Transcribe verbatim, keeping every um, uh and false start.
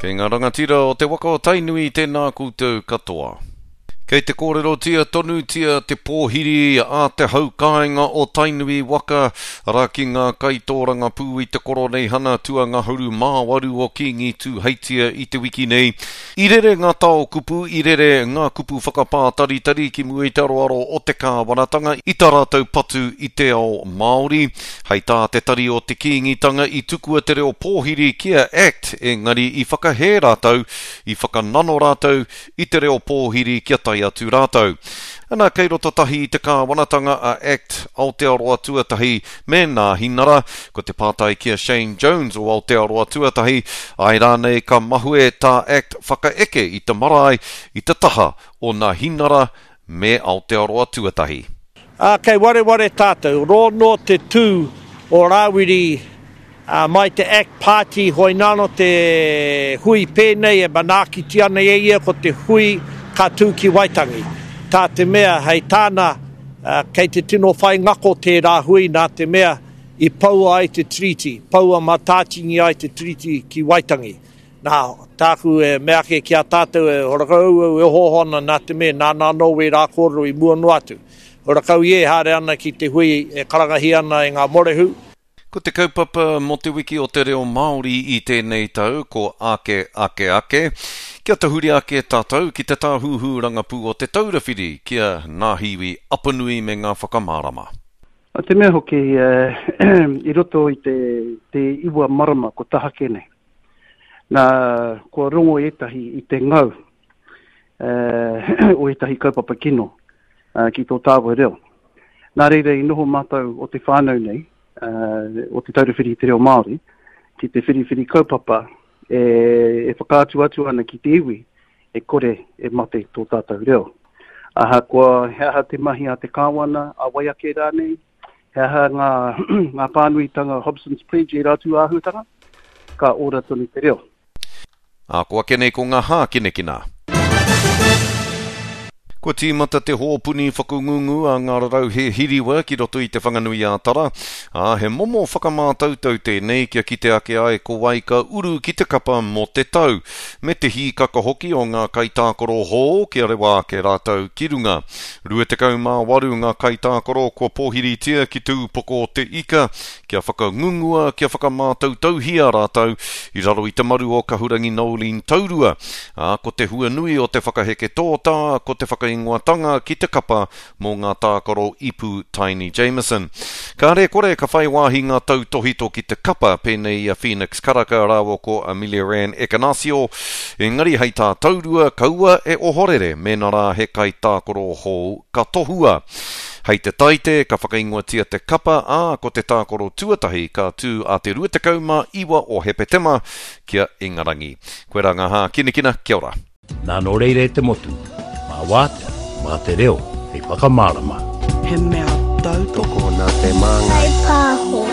Kei ngā rangatira o te waka o Tainui, tēnā koutou katoa. Kei te kōrerotia tonutia te pōhiri a te haukāinga o Tainui waka, arā ki ngā kaitōrangapū i te koroneihana tuangahuru mā waru o Kīngi Tūheitia i te wiki nei. I rere ngā tao kupu, i rere ngā kupu whakapātaritari ki mua i te aroaro o te kāwanatanga i tā rātou patu i te ao Māori. Hei tā te tari o te Kīngitanga i tukua te reo pōhiri ki a ACT, engari i whakahē rātou, i whakanano rātou i te reo pōhiri kia tae atu rātou. Ana, kei roto tahi i te kāwanatanga a ACT Aotearoa Tuatahi me Nāhinara. Ko te pātai ki a Shane Jones o Aotearoa Tuatahi, āe rānei ka mahue tā ACT whakaeke i te marae i te taha o Nāhinara me Aotearoa Tuatahi. Ā, kei wareware tātou, rō noa te tū o Rāwiri ā, mai te ACT Party hoināno te hui pēnei e manaakitia ana e ia ko te hui ka tū ki Waitangi. Tā te mea hei tāna, ā, kei te tino whai ngako tērā hui nā te mea i poua ai te Tiriti, poua matātingi ai te Tiriti ki Waitangi. Nā, tāku e mea ake ki a tātou e horakau au e ohooho ana nā te mea nāna anō wērā kōrero i mua noa atu. Horakau ia e haere ana ki te hui e karangahia ana e ngā morehu. Ko te kaupapa mō te wiki o te reo Māori i tēnei tau ko Ake Ake Ake. Kia tahuri ake tātou ki te tāhuhu rangapū o Te Taura Whiri ki a Ngāhiwi Apanui me ngā whakamārama. A te mea hoki, i roto i te, te iwa marama ko tahake nei, nā, kua rongo ētahi i te ngau o ētahi kaupapa kino ki tō tāua reo. Nā reira i noho mātou o te whānau nei, o Te Taura Whiri i te Reo Māori, ki te whiriwhiri kaupapa e, e whakaatu atu ana ki te iwi e kore e mate tō tātou reo. Ahakoa he aha te mahi a te kāwana, a wai ake rānei, he aha ngā, ngā pānuitanga Hobson's Pledge ērā atu āhuatanga, ka ora tonu te reo. Ā, ko ake nei ko ngā hākinakina. Kua tīmata te hōpuni whakangungu a ngā rarauhe hiriwa ki roto i Te Whanganui-ā-Tara, ā, he momo whakamātautau tēnei kia kite ake ai ko wai ka uru ki te kapa mō te tau, me te hīkaka hoki o ngā kaitākaro hou kia rewa ake rātou ki runga. Rua tekau mā waru ngā kaitākaro kua pōhiritia ki Te Ūpoko o te Ika kia whakangungua, kia whakamātautauhia rātou i raro i te maru o Kahurangi Noeline Taurua, ā, ko te hua nui o te whakaheke tōtā, ko te whakaingoatanga ki te kapa mō ngā tākaro ipu Taini Jamison. Kāre kore ka whai wāhi ngā tautōhito ki te kapa pēnei i a Phoenix Karaka rāua ko Ameliaranne Ekenasio, engari hei tā Taurua, kaua e ohorere mēnā rā he kaitākaro hou ka tohua. Hei te Taite, ka whakaingoatia te kapa, ā, ko te tākaro tuatahi ka tū a te rua tekau mā iwa o Hepetema ki a Ingarangi. Koirā ngā hākinakina, kia ora. Nā nō reira e te motu, mā wātea, mā te reo hei whakamārama. He mea tautoko. Tokona te māngai. Whai pāho.